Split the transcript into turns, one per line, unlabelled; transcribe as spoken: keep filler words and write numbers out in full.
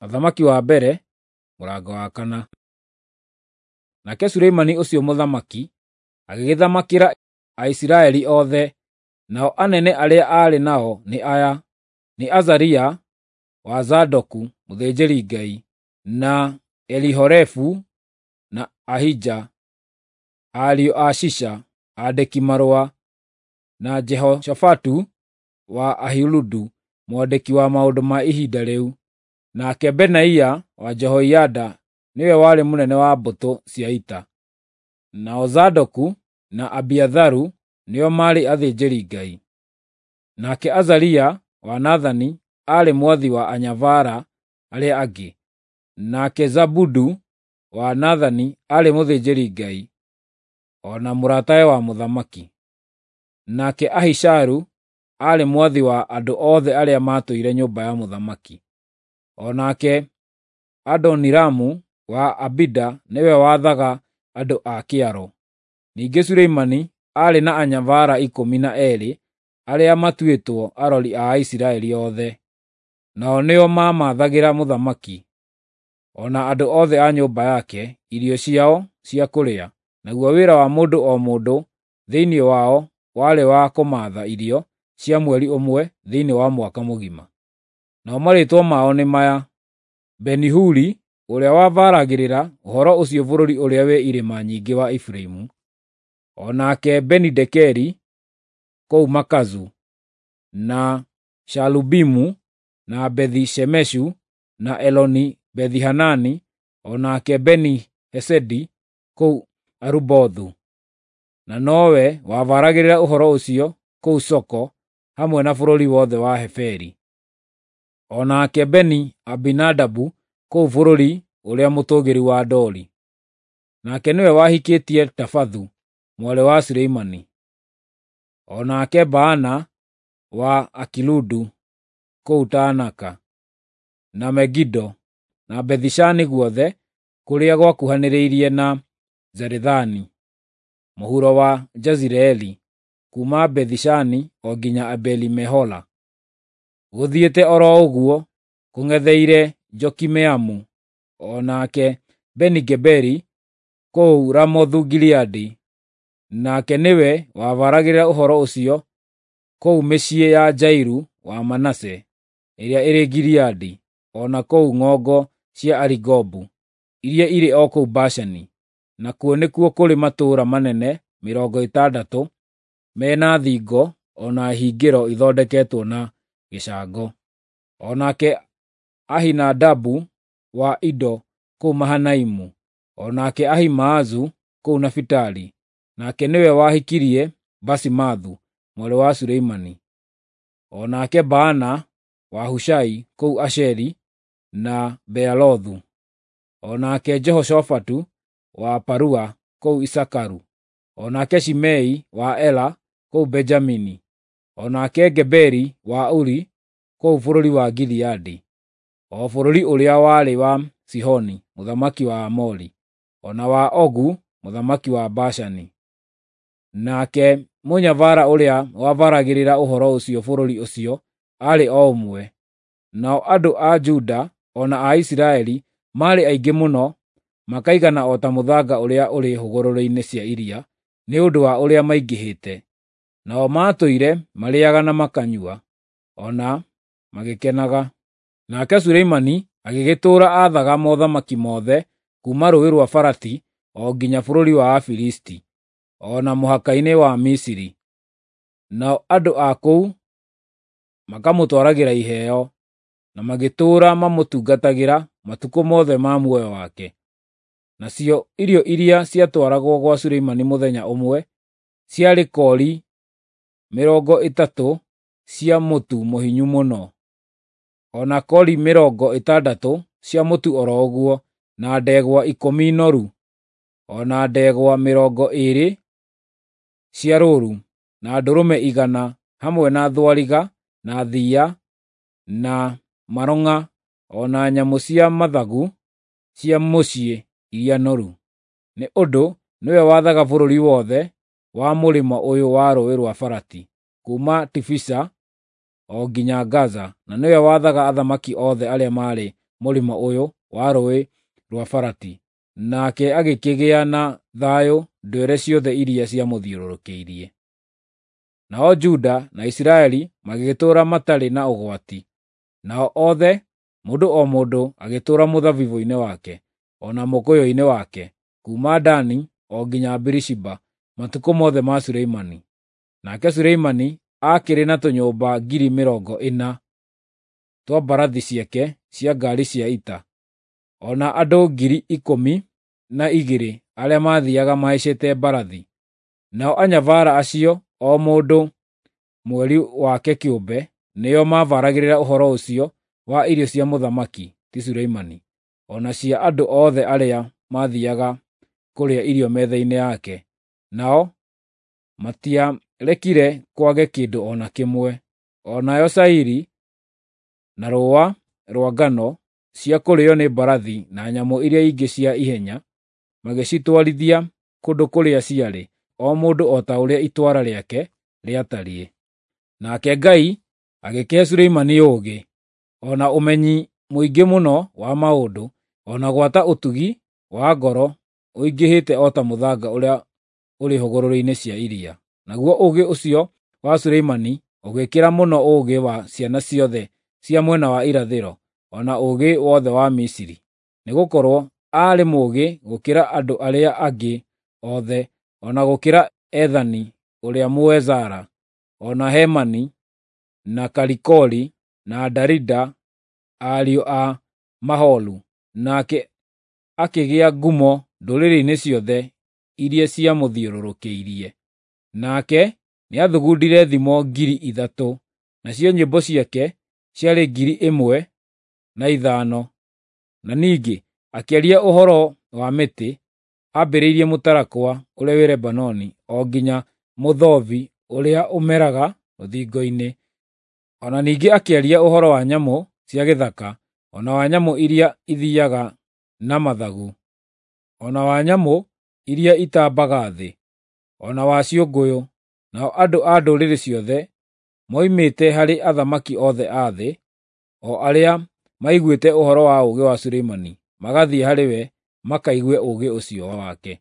Mũthamaki wa mbere, mũrango wa kana. Nake Suleimani ũcio mũthamaki agĩgĩthamakĩra Aisiraeli othe, nao anene arĩa aarĩ nao nĩ aya: nĩ Azaria wa Zadoku mũthĩnjĩri-Ngai, na Elihorefu na Ahija, ariũ a Shisha aandĩki-marũa, na Jehoshafatu wa Ahiludu mwandĩki wa maũndũ ma ihinda rĩu. Nake Benaia wa Jehoiada nĩwe warĩ mũnene wa mbũtũ cia ita. Nao Zadoku na Abiatharu nĩo maarĩ athĩnjĩri-Ngai. Nake Azaria wa Nathani aarĩ mwathi wa anyabara arĩa angĩ. Nake Zabudu wa Nathani aarĩ mũthĩnjĩri-Ngai, o na mũratawe wa mũthamaki. Nake Ahisharu aarĩ mwathi wa andũ othe arĩa maatũire nyũmba ya mũthamaki. O nake Adoniramu wa Abida nĩwe wathaga andũ a kĩaro. Ningĩ Suleimani aarĩ na anyabara ikũmi na eerĩ arĩa matuĩtwo arori a Aisiraeli othe. Nao nĩo maamathagĩra mũthamaki, o na andũ othe a nyũmba yake, irio ciao cia kũrĩa. Naguo wĩra wa mũndũ o mũndũ thĩinĩ wao warĩ wa kũmaatha irio cia mweri ũmwe thĩinĩ wa mwaka mũgima. Nao marĩĩtwa mao nĩ maya: Beni-Huri ũrĩa wabaragĩrĩra ũhoro ũcio bũrũri ũrĩa wĩ irĩma nyingĩ wa Efiraimu, o nake Beni-Dekeri kũu Makazu, na Shalubimu, na Bethi-Shemeshu, na Eloni-Bethi-Hanani, o nake Beni-Hesedi kũu Arubothu. Na nowe wabaragĩrĩra ũhoro ũcio kũu Soko hamwe na bũrũri wothe wa Heferi. O nake Beni-Abinadabu kũu bũrũri ũrĩa mũtũũgĩru wa Dori. Nake nĩwe wahikĩtie Tafathu mwarĩ wa Suleimani. O nake Baana wa Akiludu kũu Taanaka, na Megido, na Bethi-Shani guothe kũrĩa gwakuhanĩrĩirie na Zarethani, mũhuro wa Jezireeli, kuuma Bethi-Shani o nginya Abeli-Mehola, gũthiĩte o ro ũguo kũng'etheire Jokimeamu, o nake Beni-Geberi kũu Ramothu-Gileadi. Nake nĩwe wabaragĩrĩra ũhoro ũcio kũu mĩciĩ ya Jairu wa Manase ĩrĩa ĩrĩ Gileadi, o na kũu ng'ongo cia Arigobu iria irĩ o kũu Bashani. Nakuo nĩkuo kũrĩ matũũra manene mĩrongo ĩtandatũ me na thingo o na hingĩro ithondeketwo na gĩcango. O nake Ahinadabu wa Ido kũu Mahanaimu, o nake Ahimaazu kũu Nafitali. Nake nĩwe wahikirie Basimathu mwarĩ wa Suleimani. O nake Baana wa Hushai kũu Asheri na Bealothu. O nake Jehoshafatu wa Parua kũu Isakaru. O nake Shimei wa Ela kũu Benjamini. O nake Geberi wa Uri kũu bũrũri wa Gileadi, o bũrũri ũrĩa warĩ wa Sihoni mũthamaki wa Aamori, o na wa Ogu mũthamaki wa Bashani. Nake mũnyabara ũrĩa wabaragĩrĩra ũhoro ũcio bũrũri ũcio aarĩ o ũmwe. Nao andũ a Juda o na a Isiraeli maarĩ aingĩ mũno, makaigana o ta mũthanga ũrĩa ũrĩ hũgũrũrũ-inĩ cia iria, nĩ ũndũ wa ũrĩa maingĩhĩte. Nao maatũire marĩĩaga na makanyua, o na magĩkenaga. Nake Suleimani agĩgĩtũũra aathaga mothamaki mothe kuuma Rũũĩ rwa Farati o nginya bũrũri wa Afilisti, o na mũhaka-inĩ wa Misiri. Nao andũ a kũu makamũtwaragĩra iheo, na magĩtũũra mamũtungatagĩra matukũ mothe ma muoyo wake. Nacio irio iria ciatwaragwo gwa Suleimani mũthenya ũmwe ciarĩ kori mĩrongo ĩtatũ cia mũtu mũhinyu mũno, o na kori mĩrongo ĩtandatũ cia mũtu o ro ũguo, na ndegwa ikũmi noru, o na ndegwa mĩrongo ĩĩrĩ cia rũũru, na ndũrũme igana, hamwe na thwariga, na thiiya, na marong'a, o na nyamũ cia mathagu cia mũciĩ iria noru. Nĩ ũndũ nĩwe wathaga bũrũri wothe wa mũrĩmo ũyũ wa Rũũĩ rwa Farati, kuuma Tifisa o nginya Gaza, na nĩwe wathaga athamaki othe arĩa maarĩ mũrĩmo ũyũ wa rũũĩ rwa Farati, nake agĩkĩgĩa na thayũ ndwere ciothe iria ciamũthiũrũrũkĩirie. Nao Juda na Isiraeli magĩgĩtũũra matarĩ na ũgwati, nao othe, mũndũ o mũndũ agĩtũũra mũthabibũ-inĩ wake, o na mũkũyũ-inĩ wake, kuuma Dani o nginya Birishiba, matukũ mothe ma Suleimani. Nake Suleimani aakĩrĩ na tũnyũmba ngiri mĩrongo ĩna twa mbarathi ciake cia ngaari cia ita, o na andũ ngiri ikũmi na igĩrĩ arĩa maathiiaga mahaicĩte mbarathi. Nao anyabara acio, o mũndũ mweri wake kĩũmbe, nĩo maabaragĩrĩra ũhoro ũcio wa irio cia mũthamaki, ti Suleimani, o na cia andũ othe arĩa maathiiaga kũrĩa irio metha-inĩ yake. Nao matiarekire kwage kĩndũ o na kĩmwe. O nayo cairi na rũũa rwa ngano cia kũrĩĩo nĩ mbarathi na nyamũ iria ingĩ cia ihenya, magĩcitwarithia kũndũ kũrĩa ciarĩ, o mũndũ o ta ũrĩa itwara rĩake rĩatariĩ. Nake Ngai agĩkĩhe Suleimani ũũgĩ, o na ũmenyi mũingĩ mũno wa maũndũ, o na gwata ũtugi wa ngoro ũingĩhĩte o ta mũthanga ũrĩa ũrĩ hũgũrũrũ-inĩ cia iria. Naguo ũũgĩ ũcio wa Suleimani ũgĩkĩra mũno ũũgĩ wa ciana ciothe cia mwena wa irathĩro, o na ũũgĩ wothe wa Misiri, nĩgũkorwo aarĩ mũũgĩ gũkĩra andũ arĩa angĩ othe, o na gũkĩra Ethani ũrĩa Mũezara, o na Hemani, na Kalikoli, na Darida, ariũ a Maholu. Nake akĩgĩa ngumo ndũrĩrĩ-inĩ ciothe iria ciamũthiũrũrũkĩirie. Nake nĩathugundire thimo ngiri ithatũ, nacio nyĩmbo ciake ciarĩ ngiri ĩmwe na ithano. Na ningĩ akĩaria ũhoro wa mĩtĩ, ambĩrĩirie mũtarakwa ũrĩa wĩ Lebanoni o nginya mũthobi ũrĩa ũmeraga rũthingo-inĩ. O na ningĩ akĩaria ũhoro wa nyamũ cia gĩthaka, o na wa nyamũ iria ithiiaga na mathagu, o na wa nyamũ iria itambaga thĩ, o na wa ciũngũyũ. Nao andũ a ndũrĩrĩ ciothe moimĩte harĩ athamaki othe a thĩ, o arĩa maiguĩte ũhoro wa ũũgĩ wa Suleimani, magathiĩ harĩ we makaigue ũũgĩ ũcio wake.